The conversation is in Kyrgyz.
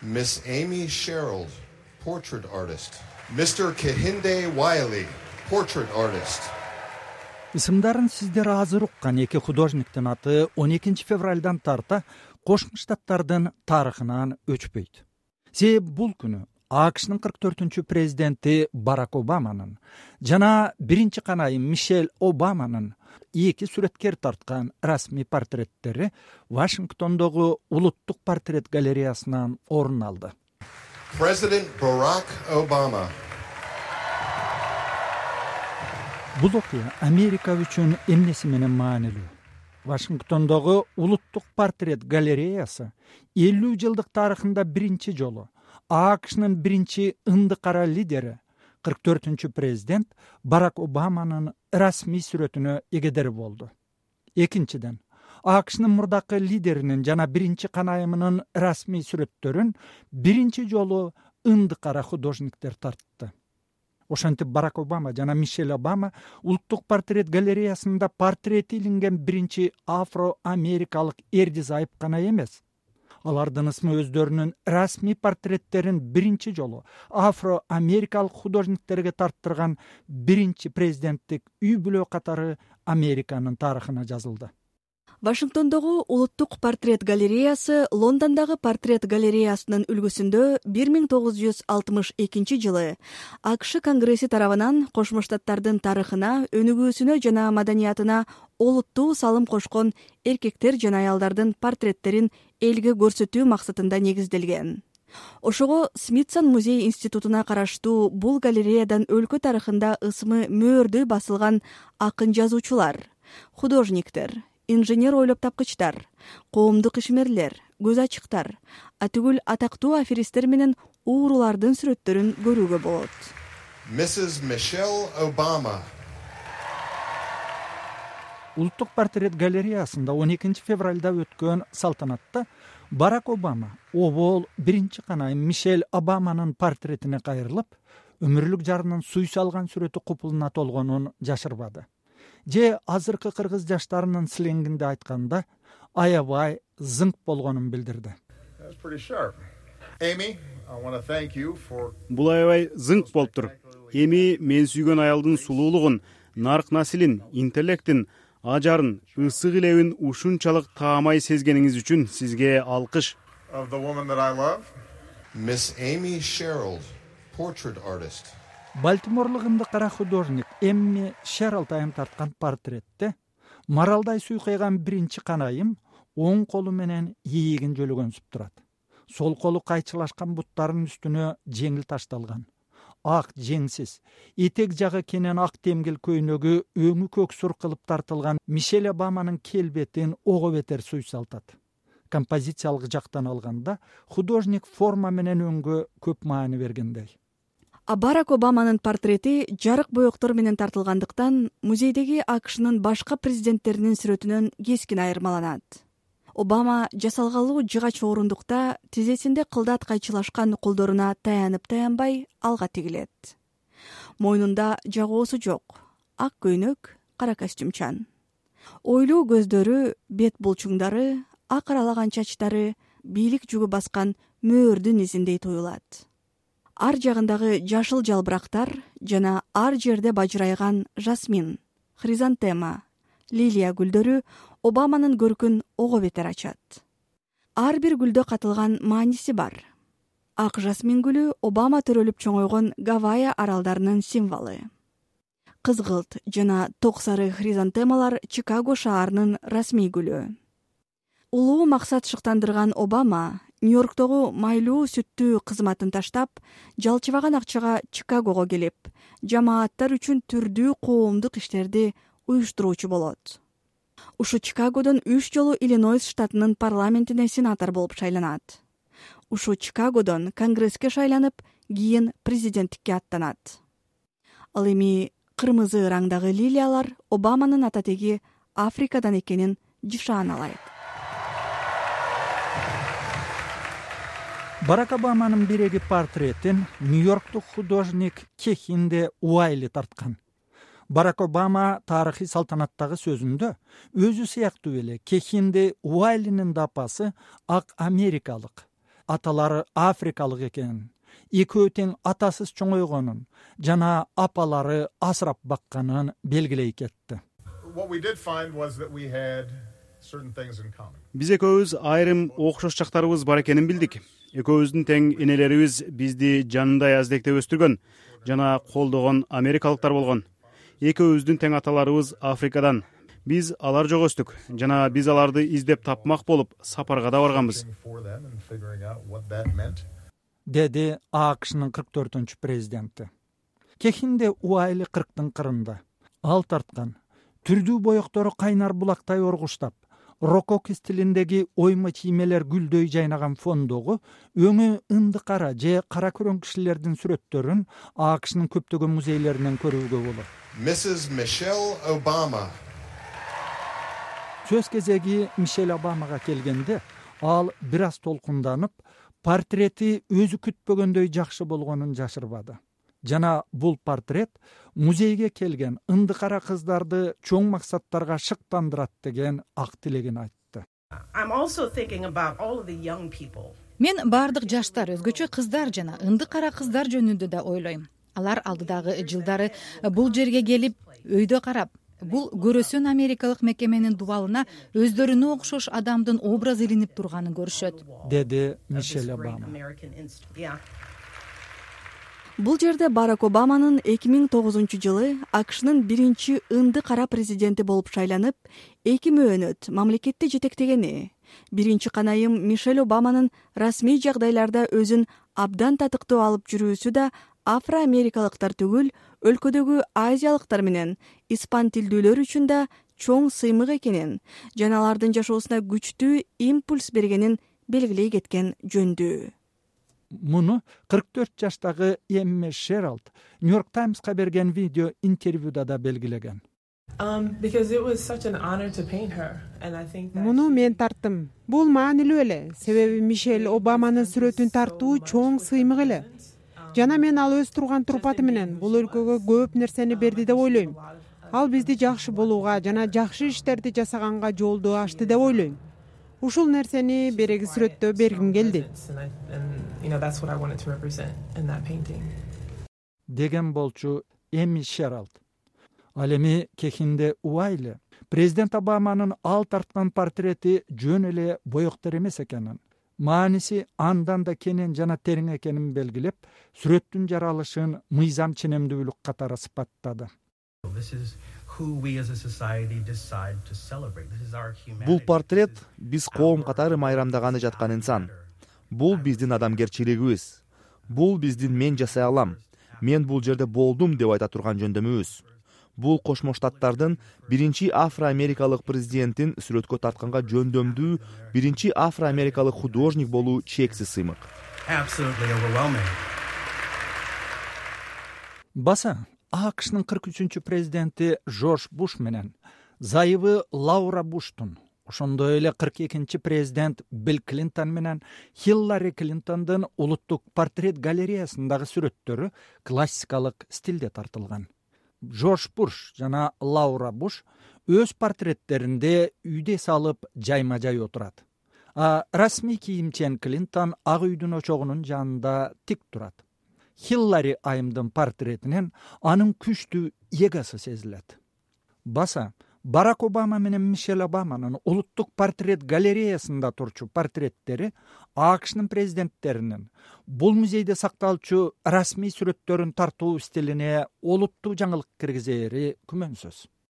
Miss Amy Sherrill, portrait artist. Mr. Kehinde Wiley, portrait artist. Исымдарын сиздер азыр уккан эки художниктин аты 12 февралдан тарта Кошмо Штаттардын тарыхынан өчпөйт. Себеби бул күнү АКШнын 44-чү президенти Барак Обаманын жана биринчи канайым Мишель Обаманын эки сүрөткер тарткан расмий портреттери Вашингтондогу Улуттук портрет галереясынан орун алды. President Barack Obama. Бул окуя Америка үчүн эмнеси менен маанилүү? Вашингтондогу Улуттук портрет галереясы 50 жылдык тарыхында биринчи жолу АКШнын биринчи ынды кара лидери 44-чү президент Барак Обаманын расмий сүрөтүнө эгедер болду. Экинчиден, АКШнын мурдакы лидеринин жана биринчи канайымынын расмий сүрөттөрүн биринчи жолу ынды кара художниктер тартты. Ошентип Барак Обама жана Мишель Обама Улуттук портрет галереясында портрети илинген биринчи афро-америкалык эрди-зайып гана эмес. Алардын ысмы өздөрүнүн расмий портреттерин биринчи жолу афро-америкалык художниктерге тарттырган биринчи президенттик үй бүлө катары Американын тарыхына жазылды. Вашингтондогу Улуттук портрет галереясы Лондондогу портрет галереясынын үлгүсүндө 1962 жылы АКШ Конгресси тарабынан Кошмо Штаттардын тарыхына, өнүгүүсүнө жана маданиятына олуттуу салым кошкон эркектер жана аялдардын портреттерин элге көрсөтүү максатында негизделген. Ошого Смитсон музей институтуна караштуу бул галереядан өлкө тарыхында ысмы мөөрдөй басылган акын жазуучулар, художниктер, инженер ойлоп тапкычтар, коомдук ишмерлер, көз ачыктар, атүгүл атактуу аферисттер менен уурулардын сүрөттөрүн көрүүгө болот. Mrs. Michelle Obama. Улуттук портрет галереясында 12 февралда өткөн салтанатта Барак Обама обол биринчи канайым Мишель Обаманын портретине кайрылып, өмүрлүк жарынын суй салган сүрөтү купулуна толгонун жашырбады. Же азыркы кыргыз жаштарынын сленгинде айтканда аябай зыңк болгонун билдирди. Бул аябай зыңк болуптур. Эми мен сүйгөн аялдын сулуулугун, нарк насилин, интеллектин, ажарын, ысык илебин ушунчалык таамай сезгениңиз үчүн сизге алкыш. Miss Amy Sherrill, portrait artist. Балтиморлук ынды кара художник Эмми Шеррилл тарткан портретте маралдай суйкайган биринчи канайым оң колу менен ийигин жөлөгөнсүп турат. Сол колу кайчылашкан буттарынын үстүнө жеңил ташталган. Ак жеңсиз, этек жагы кенен ак темгил көйнөгү өңү көксүр кылып тартылган Мишель Обаманын келбетин ого бетер суйсалтат. Композициялык жактан алганда художник форма менен өңгө көп маани бергендей. А Барак Обаманын портрети жарык боектор менен тартылгандыктан музейдеги АКШнын башка президенттеринин сүрөтүнөн кескин айырмаланат. Обама жасалгалуу жыгач орундукта тизесинде кылдат кайчылашкан колдоруна таянып-таянбай алга тигилет. Мойнунда жагоосу жок, ак көйнөк, кара костюмчан. Ойлуу көздөрү, бет булчуңдары, ак аралаган чачтары бийлик жүгү баскан мөөрдүн изиндей туюлат. Ар жагындагы жашыл жалбырактар жана ар жерде бажырайган жасмин, хризантема, лилия гүлдөрү Обаманын көркүн ого бетер ачат. Ар бир гүлдө катылган мааниси бар. Ак жасмин гүлү Обама төрөлүп чоңойгон Гавайи аралдарынын символу. Кызгылт жана ток сары хризантемалар Чикаго шаарынын расмий гүлү. Улуу максат шыктандырган Обама Нью-Йорктогу майлуу сүттүү кызматын таштап, жалчыбаган акчага Чикагого келип, жамааттар үчүн түрдүү коомдук иштерди уюштуруучу болот. Ушу Чикагодон 3 жолу Иллинойс штатынын парламентине сенатор болуп шайланат. Ушу Чикагодон Конгресске шайланып, кийин президенттикке аттанат. Ал эми кырмызы раңдагы лилиялар Обаманын ататеги Африкадан экенин жышаналайт. Барак Обаманын биреги портретин Нью-Йорктук художник Кехинде Уайли тарткан. Барак Обама тарыхый салтанаттагы сөзүндө өзү сыяктуу эле Кехинде Уайлинин да апасы ак америкалык, аталары африкалык экенин, экөө тең атасыз чоңойгонун жана апалары асырап бакканын белгилей кетти. Биз экөөбүз айрым окшош жактарыбыз бар экенин билдик. Экөөбүздүн тең энелерибиз бизди жанындай аздектеп өстүргөн жана колдогон америкалыктар болгон. Экөөбүздүн тең аталарыбыз Африкадан. Биз алар жок өстүк жана биз аларды издеп тапмак болуп сапарга да барганбыз. Деди АКШнын 44-үнчү президенти. Кехинде Уайли 40-тын кырында. Ал тарткан түрдүү боектору кайнар булактай оргуштап, рококо стилиндеги ойма чиймелер гүлдөй жайнаган фондогу өңү ынды кара же кара көрөң кишилердин сүрөттөрүн АКШнын көптөгөн музейлеринен көрүүгө болот. Mrs. Michelle Obama. Сөз кезеги Мишель Обамага келгенде ал бир аз толкунданып, портрети өзү күтпөгөндөй жакшы болгонун жашырбады. Жана бул портрет музейге келген ынды кара кыздарды чоң максаттарга шыктандырат деген ак тилегин айтты. Мен бардык жаштар, өзгөчө кыздар жана ынды кара кыздар жөнүндө да ойлойм. Алар алдыдагы жылдары бул жерге келип, өйдө карап, бул көрөсөн америкалык мекеменин дубалына өздөрүнө окшош адамдын образы илинип турганын көрүшөт, деди Мишель Обама. Бул жерде Барак Обаманын 2009-жылы АКШнын биринчи ынды кара президенти болуп шайланып, 2 мөөнөт мамлекетти жетектегени, биринчи канайым Мишель Обаманын расмий жагдайларда өзүн абдан татыктуу алып жүрүүсү да афро-америкалыктар түгүл, өлкөдөгү азиялыктар менен испан тилдүүлөр үчүн да чоң сыймык экенин жана алардын жашоосуна күчтүү импульс бергенин белгилей кеткен жөндүү. Муну 44 жаштагы Эмме Шералд Нью-Йорк Таймска берген видео интервьюда да белгилеген. Муну мен тарттым. Бул маанилүү эле, себеби Мишель Обаманын сүрөтүн тартуу чоң сыймык эле. Жана мен ал өз турган турпаты менен бул өлкөгө көп нерсени берди деп ойлойм. Ал бизди жакшы болууга жана жакшы иштерди жасаганга жолду ачты деп ойлойм. Ушул нерсени береги сүрөттө бергим келди. Деген болчу Эмми Шералд. Ал эми кехинде Уайли президент Обаманын ал тарткан портрети жөн эле боектор эмес экенин, мааниси андан да кенен жана терең экенин белгилеп, сүрөттүн жаралышын мыйзам ченемдүүлүк катары сыпаттады. Бул портрет биз коом катары майрамдаганы жаткан инсан. Бул биздин адамгерчилигибиз. Бул биздин мен жасай алам, мен бул жерде болдум деп айта турган жөндөмүбүз. Бул Кошмо Штаттардын биринчи афро-америкалык президентин сүрөткө тартканга жөндөмдүү биринчи афро-америкалык художник болуу чексиз сыймык. Баса АКШнын 43-чү президенти Жорж Буш менен зайыбы Лаура Буштун, ошондой эле 42-чи президент Билл Клинтон менен Хиллари Клинтондун улуттук портрет галереясындагы сүрөттөрү классикалык стилде тартылган. Жорж Буш жана Лаура Буш өз портреттеринде үйдө салып жайма-жай отурат. А расмий кийимчен Клинтон ак үйдүн очогунун жанында тик турат. Хиллари айымдын портретинен анын күчтүү эгосы сезилет. Баса Барак Обама менен Мишель Обаманын улуттук портрет галереясында турчу портреттери АКШнын президенттеринин бул музейде сакталчу расмий сүрөттөрүн тартуу стилине олуттуу жаңылык киргизери күмөнсүз.